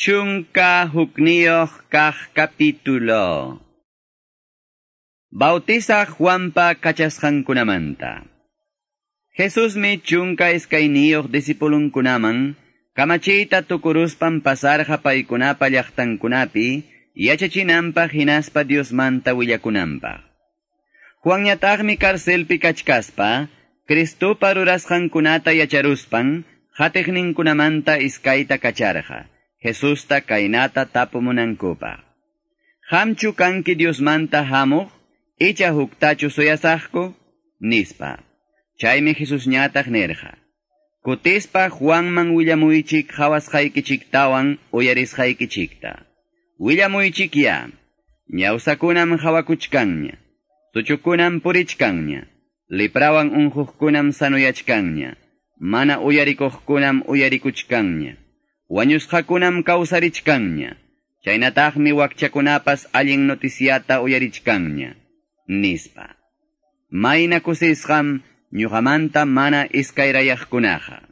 11 kaq capítulo. Bautizaq Juanpa kachasqankunamanta. Jesusmi 12 discipulunkunaman kamachiyta tukuruspan pasarqa paykunapa llaqtankunapi yachachinanpaq hinaspa Diosmanta willakunanpaq. Juanñataqmi carcelpi kachkaspa Cristopa rurasqankunata yacharuspan qatiqninkunamanta iskayta kacharqa Jesusta kaynata tapumunankupaq. Qamchu kanki Diosmanta hamuq, icha huktachu suyasaqku, nispa. Chaymi Jesusñataq nirqa: Kutispa Juanman willamuychik qhawasqaykichiktawan uyarisqaykichikta. Willamuychik ya, ñawsakunam qhawakuchkanña, suchukunam purichkanña, liprawan unquqkunam sanuyachkanña, mana uyarikuqkunam uyarikuchkanña, wañusqakunam kawsarichkanña, chaynataqmi wakchakunapas allin noticiata uyarichkanña, nispa. Mayna kusisqam ñuqamanta mana iskayrayaqkunaqa.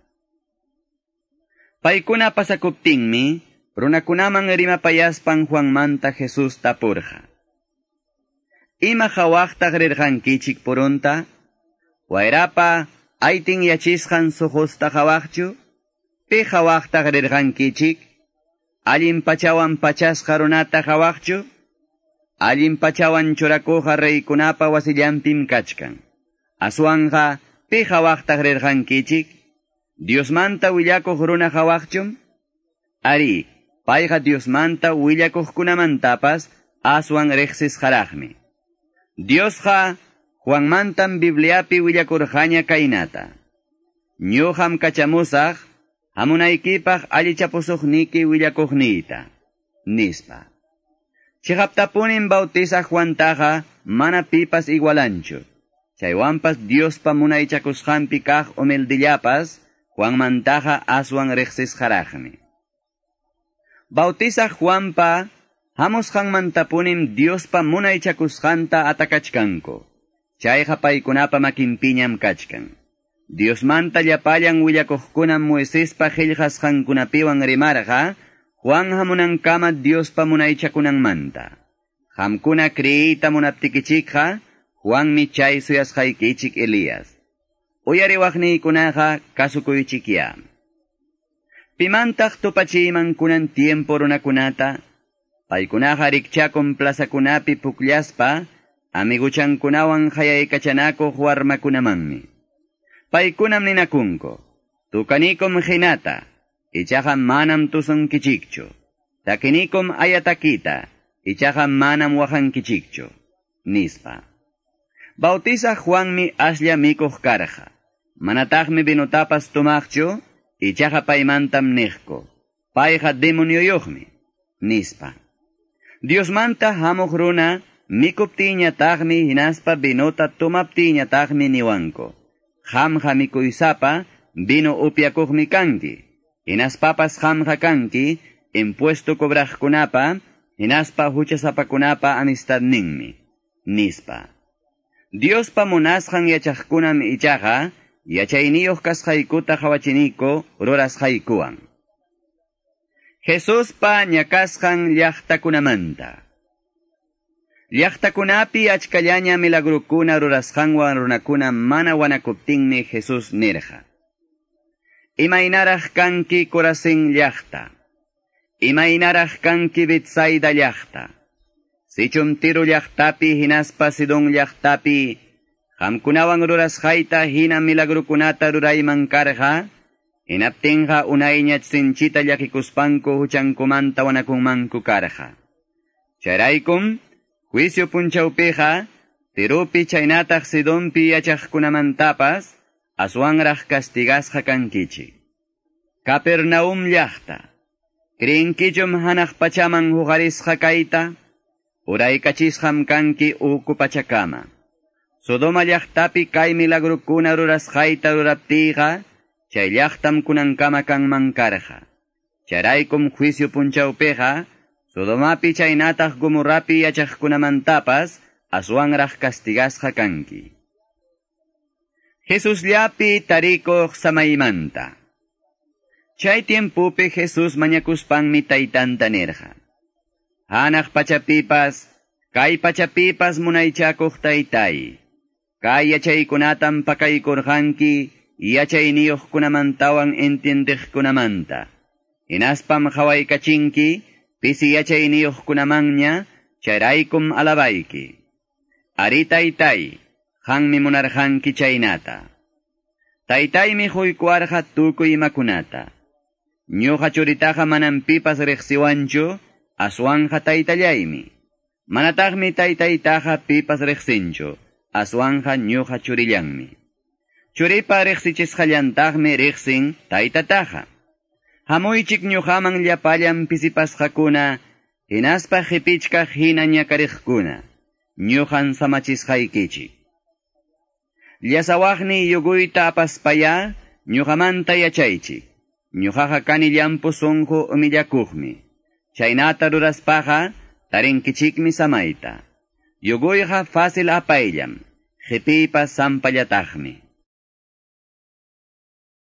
Paykuna pasakuptinmi, runakunaman rimapayaspan Juanmanta Jesús tapurqa: Ima qhawaqtaq rirqankichik purunta? Wayrapa aytin yachisqan suqusta qhawaqchu? Pi qhawaqtaq rirqankichik? Allin pachawan pachasqa runata qhawaqchu? Allin pachawan churakuqa reykunapa wasillanpim kachkan. Aswanqa pi qhawaqtaq rirqankichik? Diosmanta willakuq runa qhawaqchum? Ari, payqa Diosmanta willakuqkunamantapas aswan riqsisqaraqmi. Diosqa Juanmantam Bibliapi willakurqaña kaynata: Ñuqam kachamusaq hamunaykipaq allichapusuqniki willakuqniyta, nispa. Chiqaptapunim bautizaq Juantaqa mana pipas igualanchu. Chaywanpas Diospa munaychakusqanpi kaq humildillapas Juanmantaqa aswan riqsisqaraqmi. Bautizaq Juanpa hamusqanmantapunim Diospa munaychakusqanta atakachkanku. Chayqa paykunapa makinpiñam kachkan. Diosmanta llapallan willakuqkunam Moisespa qillqasqankunapiwan rimarqa Juan hamunankama Diospa munaychakunanmanta. Qamkuna creeyta munaptikichikqa Juanmi chay suyasqaykichik Elías. Uyariwaqniykunaqa kasukuychikya. Pimantaq tupachiyman kunan tiempo runakunata? Paykunaqa rikchakun plazakunapi pukllaspa amiguchankunawan hayaykachanakuq warmakunamanmi. Paykunam ninakunku: Tukanikum hinata, ichaqa manam tusunkichikchu. Takinikum ayatakita, ichaqa manam waqankichikchu, nispa. Bautizaq Juanmi aslla mikuq karqa. Manataqmi vinutapas tumaqchu, ichaqa paymantam niqku: Payqa demonioyuqmi, nispa. Diosmanta hamuq runa mikuptiñataqmi hinaspa vinuta tumaptiñataqmi niwanku: Qamqa mikuysapa vino upyakuqmi kanki, hinaspapas qamqa kanki impuesto cobraqkunapa hinaspa huchasapakunapa amistadninmi, nispa. Diospa munasqan yachaqkunam ichaqa yachayniyuq kasqaykuta qhawachiniku rurasqaykuwan. Jesuspa ñakasqan llaqtakunamanta. Llaqtakunapi achkallaña milagrukuna rurasqanwan runakuna mana wanakuptinmi Jesús nirqa: Imaynaraq kanki Corazín llaqta, imaynaraq kanki Betsaida llaqta. Sichum Tiro llaqtapi hinaspa Sidón llaqtapi qamkunawan rurasqayta hina milagrukunata rurayman karqa, hinaptinqa unayñach sinchita llakikuspanku huchankumanta wanakunmanku karqa. Chayraykum juicio punchawpiqa Tiropi chaynataq Sidonpi yachaqkunamantapas aswanraq castigasqa kankichik. Capernaum llaqta, ¿creenkichum hanaq pachaman huqarisqa kayta? Uraykachisqam kanki uku pachakama. Sodoma llaqtapi kay milagrukuna rurasqayta ruraptiyqa, chay llaqtam kunankama kanman karqa. Chayraykum juicio punchawpiqa Sodomapi chaynataq Gomorrapi yachaqkunamantapas aswanraq castigasqa kanki. Jesusllapi tarikuq samaymanta. Chay tiempopi Jesús mañakuspanmi taytanta nirqa. Hanaq pachapipas, kay pachapipas munaychakuq taytay. Kay yachaykunatam pakaykurqanki yachayniyuqkunamantawan entiendiqkunamanta. Hinaspam qawaykachinki pisi yachayniyuqkunamanña chayraykum alabayki. Ari taytay, qanmi munarqanki chaynata. Taytaymi huykuarqa tukuy imakunata. Ñuqa churitaqa manam pipas riqsiwanchu, aswanja taytallaymi. Manataqmi taytaytaqa pipas riqsinchu, aswanja ñuqa churillanmi. Churipa riqsichisqallantaqmi riqsin taytataqa. Hamuychik ñuqaman llapallan pisipasqakuna, hinaspa qipichkaq hina ñakariqkuna, ñuqan samachisqaykichik. Llasawaqni yuguyta apaspaya, ñuqamanta yachaychik. Ñuqaqa kani llampu sunqu humillakuqmi. Chaynata ruraspaqa tarinkichikmi samayta. Yuguyqa fácil apayllam, qipiypas sampallataqmi.